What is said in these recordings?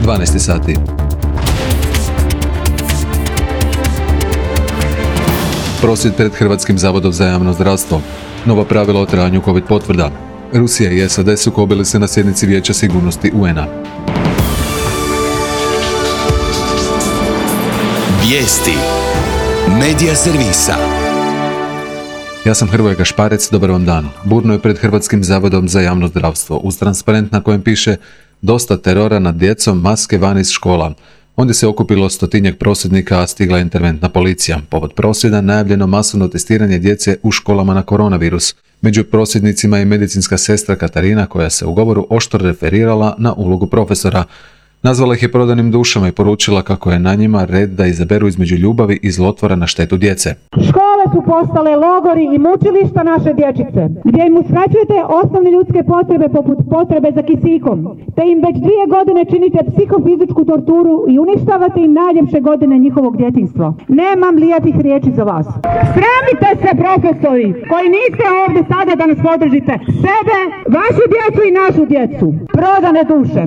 12 sati. Prosvjed pred Hrvatskim zavodom za javno zdravstvo. Nova pravila o trajanju COVID potvrda. Rusija i SAD sukobili se na sjednici Vijeća sigurnosti UN-a. Vijesti. Medija servisa. Ja sam Hrvoje Gašparec, dobar vam dan. Burno je pred Hrvatskim zavodom za javno zdravstvo, uz transparent na kojem piše "Dosta terora nad djecom, maske van iz škola". Ondje se okupilo 100-tinjak prosvjednika, a stigla je interventna policija. Povod prosvjeda najavljeno masovno testiranje djece u školama na koronavirus. Među prosvjednicima je medicinska sestra Katarina, koja se u govoru oštro referirala na ulogu profesora. Nazvala ih je prodanim dušama i poručila kako je na njima red da izaberu između ljubavi i zlotvora na štetu djece. Škole su postale logori i mučilišta naše dječice, gdje im uskraćujete osnovne ljudske potrebe poput potrebe za kisikom, te im već 2 godine činite psihofizičku torturu i uništavate im najljepše godine njihovog djetinjstva. Nemam lijepih riječi za vas. Sramite se, profesori, koji niste ovdje sada da nas podržite. Sebe, vašu djecu i našu djecu. Prodane duše.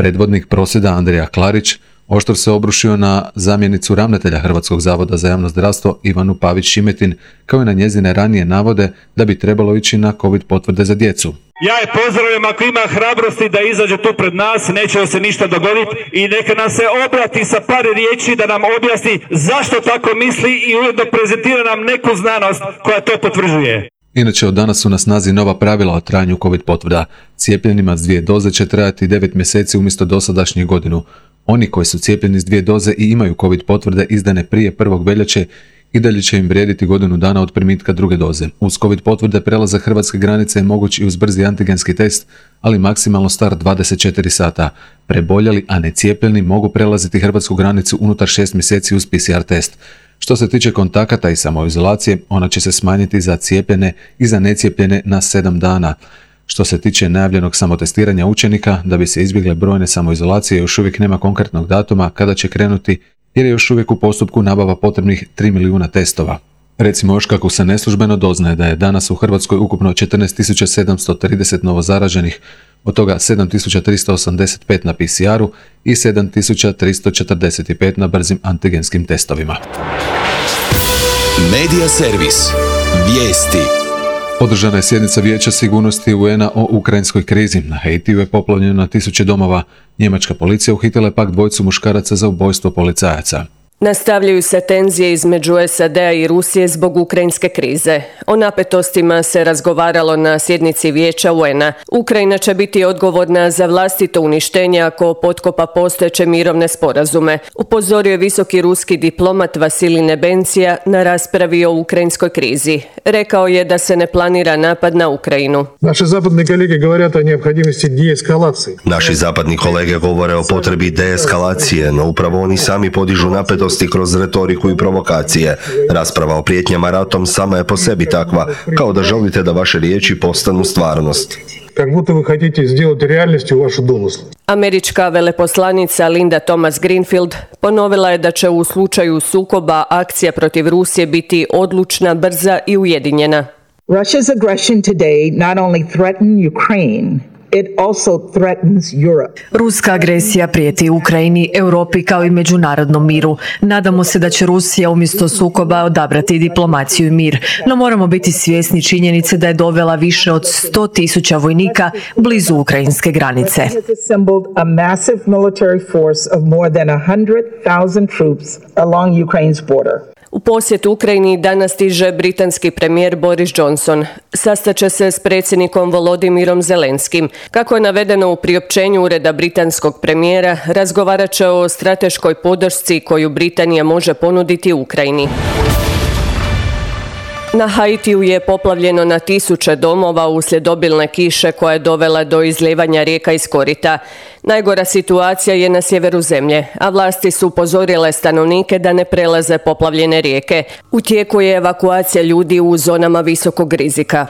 Predvodnik prosvjeda Andrija Klarić oštro se obrušio na zamjenicu ravnatelja Hrvatskog zavoda za javno zdravstvo Ivanu Pavić-Šimetin, kao i na njezine ranije navode da bi trebalo ići na COVID potvrde za djecu. Ja je pozdravljam ako ima hrabrosti da izađe tu pred nas, neće se ništa dogoditi i neka nam se obrati sa par riječi da nam objasni zašto tako misli i ujedno prezentira nam neku znanost koja to potvrđuje. Inače, od danas su na snazi nova pravila o trajanju COVID potvrda. Cijepljenima s 2 doze će trajati 9 mjeseci umjesto dosadašnjih godinu. Oni koji su cijepljeni s 2 doze i imaju COVID potvrde izdane prije 1. veljače i dalje će im vrijediti godinu dana od primitka 2. doze. Uz COVID potvrde prelazak hrvatske granice je moguć i uz brzi antigenski test, ali maksimalno star 24 sata. Preboljeli, a ne cijepljeni mogu prelaziti hrvatsku granicu unutar 6 mjeseci uz PCR test. Što se tiče kontakata i samoizolacije, ona će se smanjiti za cijepljene i za necijepljene na 7 dana. Što se tiče najavljenog samotestiranja učenika, da bi se izbjegle brojne samoizolacije, još uvijek nema konkretnog datuma kada će krenuti, jer je još uvijek u postupku nabava potrebnih 3 milijuna testova. Recimo još kako se neslužbeno doznaje da je danas u Hrvatskoj ukupno 14.730 novozaraženih, od toga 7.385 na PCR-u i 7.345 na brzim antigenskim testovima. Medija servis. Vijesti. Održana je sjednica Vijeća sigurnosti UN-a o ukrajinskoj krizi. Na Haitiju je poplavljeno na 1000 domova. Njemačka policija uhitila je pak 2 muškaraca za ubojstvo policajaca. Nastavljaju se tenzije između SAD-a i Rusije zbog ukrajinske krize. O napetostima se razgovaralo na sjednici Vijeća UN-a. Ukrajina će biti odgovorna za vlastito uništenje ako potkopa postojeće mirovne sporazume, upozorio je visoki ruski diplomat Vasilij Nebencija na raspravi o ukrajinskoj krizi. Rekao je da se ne planira napad na Ukrajinu. Naši zapadni kolege govore o potrebi deeskalacije, no upravo oni sami podižu napetosti kroz retoriku i provokacije. Rasprava o prijetnjama ratom sama je po sebi takva, kao da želite da vaše riječi postanu stvarnost. Как будто вы хотите сделать реальностью ваши домыслы. Američka veleposlanica Linda Thomas Greenfield ponovila je da će u slučaju sukoba akcija protiv Rusije biti odlučna, brza i ujedinjena. Russia's aggression today not only threatened Ukraine, it also threatens Europe. Ruska agresija prijeti Ukrajini, Europi kao i međunarodnom miru. Nadamo se da će Rusija umjesto sukoba odabrati diplomaciju i mir, no moramo biti svjesni činjenice da je dovela više od 100.000 vojnika blizu ukrajinske granice. A massive military force of more than 100,000 troops along Ukraine's border. U posjet Ukrajini danas stiže britanski premijer Boris Johnson. Sastaće se s predsjednikom Volodimirom Zelenskim. Kako je navedeno u priopćenju ureda britanskog premijera, razgovarat će o strateškoj podršci koju Britanija može ponuditi Ukrajini. Na Haitiju je poplavljeno na 1000 domova uslijed obilne kiše koja je dovela do izlijevanja rijeka iz korita. Najgora situacija je na sjeveru zemlje, a vlasti su upozorile stanovnike da ne prelaze poplavljene rijeke. U tijeku je evakuacija ljudi u zonama visokog rizika.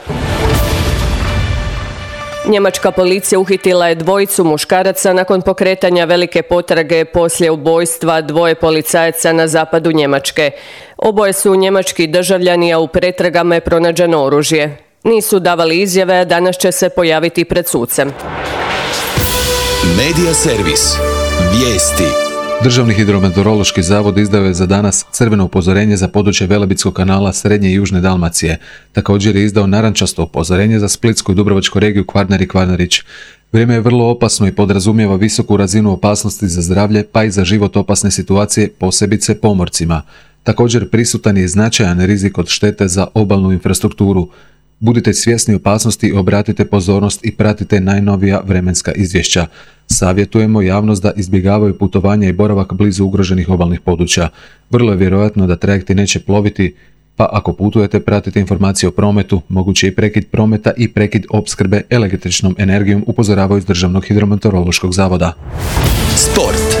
Njemačka policija uhitila je 2 muškaraca nakon pokretanja velike potrage poslije ubojstva 2 policajaca na zapadu Njemačke. Oboje su njemački državljani, a u pretragama je pronađeno oružje. Nisu davali izjave, a danas će se pojaviti pred sucem. Medija servis. Vijesti. Državni hidrometeorološki zavod izdao je za danas crveno upozorenje za područje Velebitskog kanala Srednje i Južne Dalmacije. Također je izdao narančasto upozorenje za Splitsku i Dubrovačku regiju Kvarner i Kvarnerić. Vrijeme je vrlo opasno i podrazumijeva visoku razinu opasnosti za zdravlje pa i za život opasne situacije, posebice pomorcima. Također prisutan je značajan rizik od štete za obalnu infrastrukturu. Budite svjesni opasnosti, obratite pozornost i pratite najnovija vremenska izvješća. Savjetujemo javnost da izbjegavaju putovanja i boravak blizu ugroženih obalnih područja. Vrlo je vjerojatno da trajekti neće ploviti, pa ako putujete pratite informacije o prometu, moguće i prekid prometa i prekid opskrbe električnom energijom, upozoravaju iz Državnog hidrometeorološkog zavoda. Sport.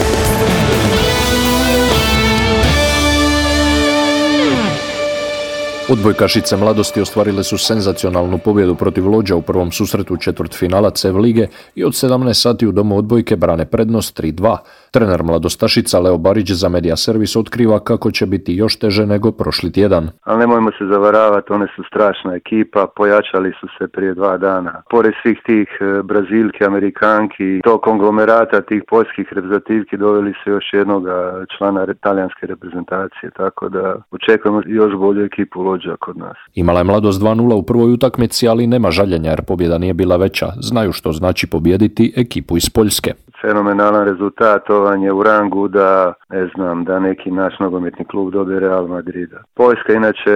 Odbojkašice Mladosti ostvarile su senzacionalnu pobjedu protiv Lođa u prvom susretu četvrtfinala CEV lige i od 17 sati u domu odbojke brane prednost 3-2. Trener Mladostašica Leo Barić za Medija servis otkriva kako će biti još teže nego prošli tjedan. Ali nemojmo se zavaravati, one su strašna ekipa, pojačali su se prije 2 dana. Pored svih tih Brazilki, Amerikanki, tog konglomerata, tih poljskih reprezentativki doveli su još jednog člana talijanske reprezentacije, tako da očekujemo još bolju ekipu Lođa kod nas. Imala je Mladost 2-0 u prvoj utakmici, ali nema žaljenja jer pobjeda nije bila veća. Znaju što znači pobijediti ekipu iz Poljske. Fenomenalan rezultat, ovan je u rangu da, da neki naš nogometni klub dobije Real Madrida. Poljska inače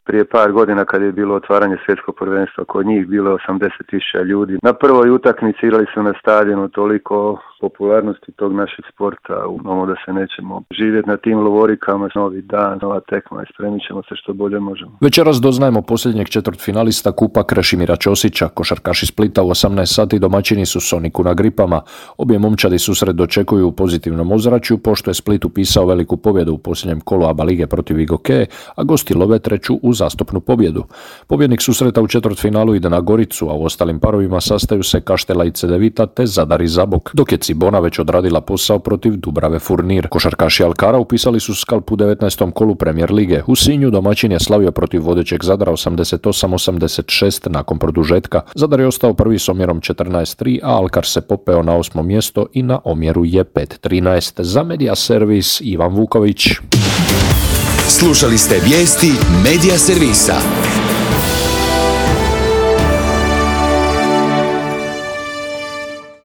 prije par godina kad je bilo otvaranje svjetskog prvenstva, kod njih bilo 80.000 ljudi. Na prvoj utakmici igrali su na stadionu, toliko popularnosti tog našeg sporta, umamo da se nećemo živjeti na tim lovorikama, novi dan, nova tekma i spremit ćemo se što bolje možemo. Večeras doznajemo posljednjeg četvrtfinalista kupa Krešimira Ćosića. Košarkaši Splita u 18 sati domaćini su Soniku na Gripama. Obje momčadi susret dočekuju u pozitivnom ozračju, pošto je Split upisao veliku pobjedu u posljednjem kolu ABA lige protiv Igoke, a gosti love treću uzastopnu pobjedu. Pobjednik susreta u četvrtfinalu ide na Goricu, a u ostalim parovima sastaju se Kaštela i Cedevita te Zadar i Zabok, dok je Cibona već odradila posao protiv Dubrave Furnir. Košarkaši Alkara upisali su skalp u 19. kolu Premier lige. U Sinju domaćin je slavio protiv vodećeg Zadra 88-86 nakon produžetka. Zadar je ostao prvi s omjerom 14-3, a Alkar se popeo na 8. mjesto i na omjeru je 5-13. Za Medija servis Ivan Vuković. Slušali ste vijesti Medija servisa.